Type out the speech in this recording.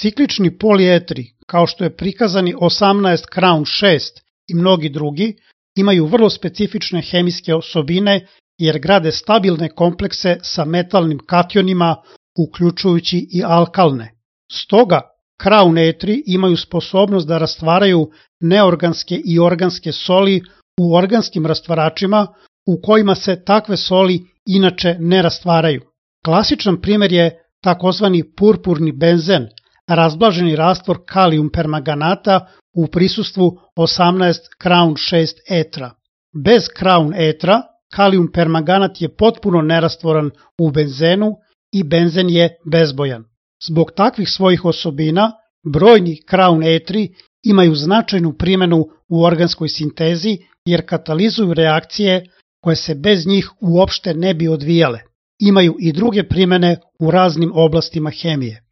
Ciklični polietri, kao što je prikazani 18 Crown 6 i mnogi drugi, imaju vrlo specifične hemijske osobine jer grade stabilne komplekse sa metalnim kationima, uključujući i alkalne. Stoga, Crown etri imaju sposobnost da rastvaraju neorganske i organske soli u organskim rastvaračima u kojima se takve soli inače ne rastvaraju. Klasičan primjer je takozvani purpurni benzen, razblaženi rastvor kalijum permanganata u prisustvu 18 Crown 6 etra. Bez Crown etra, kalijum permanganat je potpuno nerastvoran u benzenu i benzen je bezbojan. Zbog takvih svojih osobina, brojni Crown etri imaju značajnu primjenu u organskoj sintezi jer katalizuju reakcije koje se bez njih uopšte ne bi odvijale. Imaju i druge primjene u raznim oblastima hemije.